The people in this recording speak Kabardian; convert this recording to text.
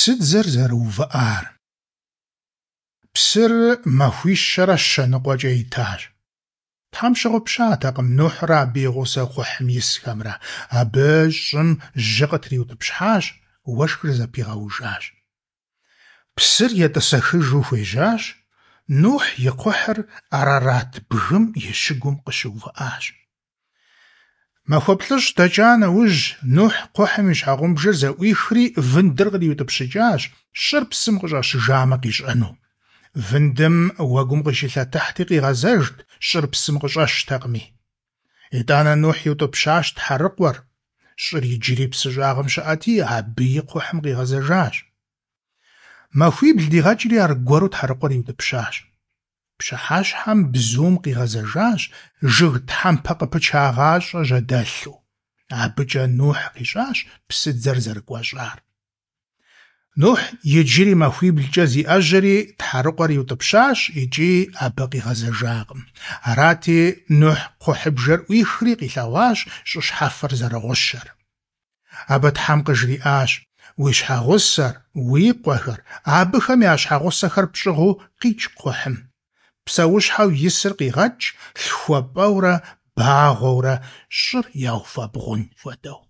Псыдзэр зэрыувыӏар. Псыр махуищэрэ щэ ныкъуэкӏэ итащ. Тхьэм щыгъупщатэкъым Нухьрэ абы и гъусэу кхъухьым исхэмрэ. Абы щӀым жьы къытриутӀыпщхьащ, уэшхыр зэпигъэужащ. Псыр етӀысэхыжу хуежьащ, Нухь и кхъухьыр Арарат бгым и щыгум къыщыувыӏащ. Махуэ плӏыщӏ дэкӏа нэужь, Нухь кхъухьым и щхьэгъубжэр зэӏуихри вындыр къриутӏыпщыкӏащ, щӏыр псым къыщӏэщыжамэ къищӏэну. Вындым уэгум къыщилъэтыхьти къигъэзэжт, щӏыр псым къыщӏэщтэкъыми. Итӏанэ Нухь иутӏыпщащ тхьэрыкъуэр. Щӏыр иджыри псы щӏагъым щыӏэти, абыи кхъухьым къигъэзэжащ. Махуибл дигъэкӏри аргуэру тхьэрыкъуэр иутӏыпщащ. Пщыхьэщхьэм бзум къигъэзэжащ, жыг тхьэмпэ къыпычагъащӏэ жьэдэлъу. Абыкӏэ Нухь къищӏащ псыдзэр зэрыкӏуэщӏар. Нухь иджыри махуиблкӏэ зиӏэжьэри тхьэрыкъуэр иутӏыпщащ икӏи абы къигъэзэжакъым. Арати, Нухь кхъухьыбжэр ӏуихри къилъэгъуащ щӏы щхьэфэр зэрыгъущэр. Абы Тхьэм къыжриӏащ: Уи щхьэгъусэр, уи къуэхэр, абыхэм я щхьэгъусэхэр пщӏыгъуу къикӏ кхъухьым. Псэущхьэу исыр къигъэкӏ, лъхуэ-пӏэурэ, багъуэурэ щӏыр яуфэбгъун хуэдэу.